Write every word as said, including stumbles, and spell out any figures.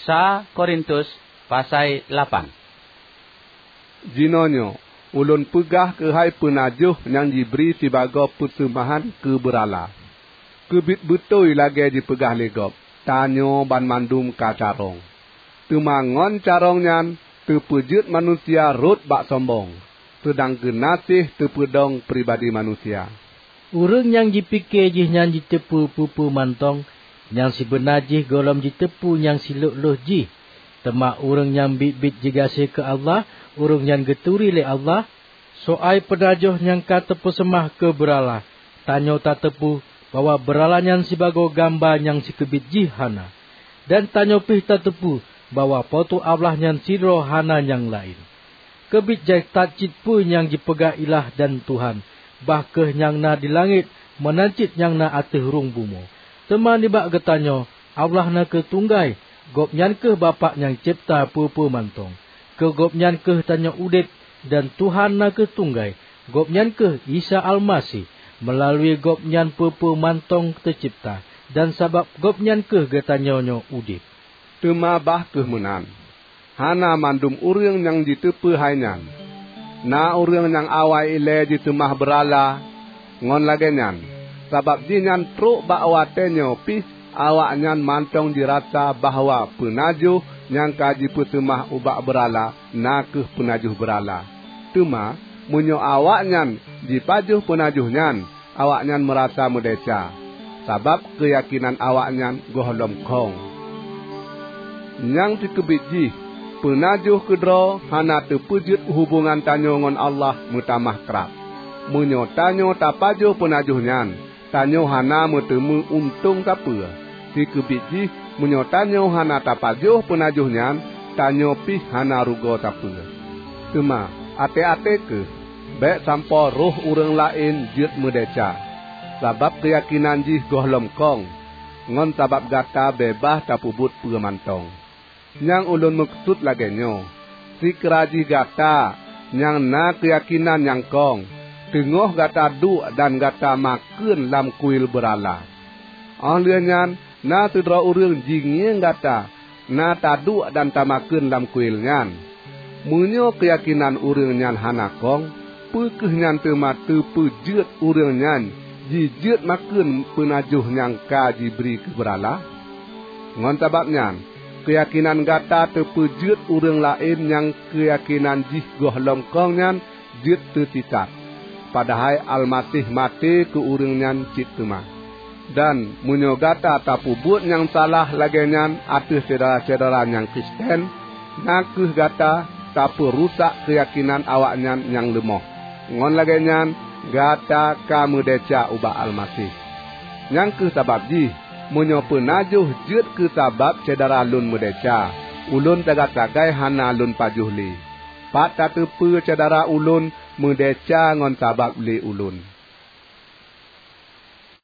Sa Korintus pasai lapan. Jinoenyoe ulôn peugah keuhai peunajoh nyang jibri sibagoe peuseumahan keu beurala. Keubiet beutôi lagée jipeugah lé gob, "Tanyoe banmandum ka carông." Teuma ngon carông nyan teupeujeuet manusia rhot bak sombong, seudang geunaséh teupeudong pribadi manusia. Ureuëng nyang jipike jih nyan jiteupeu peue-peue mantong, nyang sibeuna jih gohlom jiteupeu nyang silhok-lhok jih. Teuma ureuëng nyang biet-biet jigaséh keu Allah, ureuëng nyan geuturi lé Allah. Soai peunajoh nyang ka teupeuseumah keu beurala, tanyoe tateupeue bahwa beurala nyan sibagoe gamba nyang sikeubiet jih hana. Dan tanyoe pih tateupeue bahwa Po teu Allah nyan sidroe hana nyang laén. Keubiet jai that cit peue nyang jipeugah ilah dan Tuhan, bah kheueh nyang na di langét meunan cit nyang na ateueh rhueng bumoe. Teuma nibak geutanyoe, Allah na kheueh tunggai, Gobnyan kheueh Bapak nyang cebta peue-peue mantong. Keu Gobnyan kheueh tanyoe udeb, dan Tuhan na kheueh tunggai, Gobnyan kheueh Isa Almaseh. Meulalu Gobnyan peue-peue mantong teucebta, dan sabab Gobnyan kheueh geutanyoe nyoe udeb. Teuma bah kheueh meunan, hana mandum ureuëng nyang jiteupeu hai nyan. Na ureuëng nyang awai ilée jiseumah beurala ngon lagée nyan, sabab jihnyan trok bak watée nyoe pih awaknyan mantong jirasa bahwa peunajoh nyang ka jipeuseumah ubak beurala na kheueh peunajoh beurala. Teuma meunyoe awaknyan jipajoh peunajoh nyan, awaknyan meurasa meudesya, sabab keuyakinan awaknyan gohlom khong. Nyang sikeubiet jih, peunajoh keudroe hana teupeujeuet hubongan tanyoe ngon Allah meutamah krab. Meunyoe tanyoe tapajoh peunajoh nyan, tanyoe hana meuteumé untông sapeue. Sikeubiet jih, meunyoe tanyoe hana tapajoh peunajoh nyan, tanyoe pih hana rugoe sapeue. Teuma, até-até kheueh, bék sampoe roh ureuëng laén jeuet meudesya, sabab keuyakinan jih gohlom khong. Ngon sabab gata beubaih tapeubuet peue mantong. Nyang ulôn meukeusut lagée nyoe, sikira jih gata nyang na keuyakinan nyang khong, teungoh gata duek dan gata makheun lam kuil beurala. Óh lheueh nyan, na sidroe ureuëng jingieng gata na taduek dan tamakheun lam kuil nyan. Meunyoe keuyakinan ureuëng nyan hana khong, peu kheueh nyan teuma teupeujeuet ureuëng nyan jijeuet makheun peunajoh nyang ka jibri keu beurala? Ngon sabab nyan, keuyakinan gata teupeujeuet ureuëng laén nyang keuyakinan jih gohlom khong nyan jeuet teusisat, padahai Almaseh maté keu ureuëng nyan cit teuma. Dan meunyoe gata tapeubuet nyang salah lagée nyan ateueh syedara-syedara nyang Kristen, na kheueh gata tapeurusak keuyakinan awaknyan nyang leumoh. Ngon lagée nyan, gata ka meudesya ubak Almaseh. Nyang kheueh sabab jih, meunyoe peunajoh jeuet keu sabab syedara lôn meudesya, ulôn sagai-sagai hana lôn pajoh lé. Pat tateupeue syedara ulôn meudesya ngon sabab lé ulôn?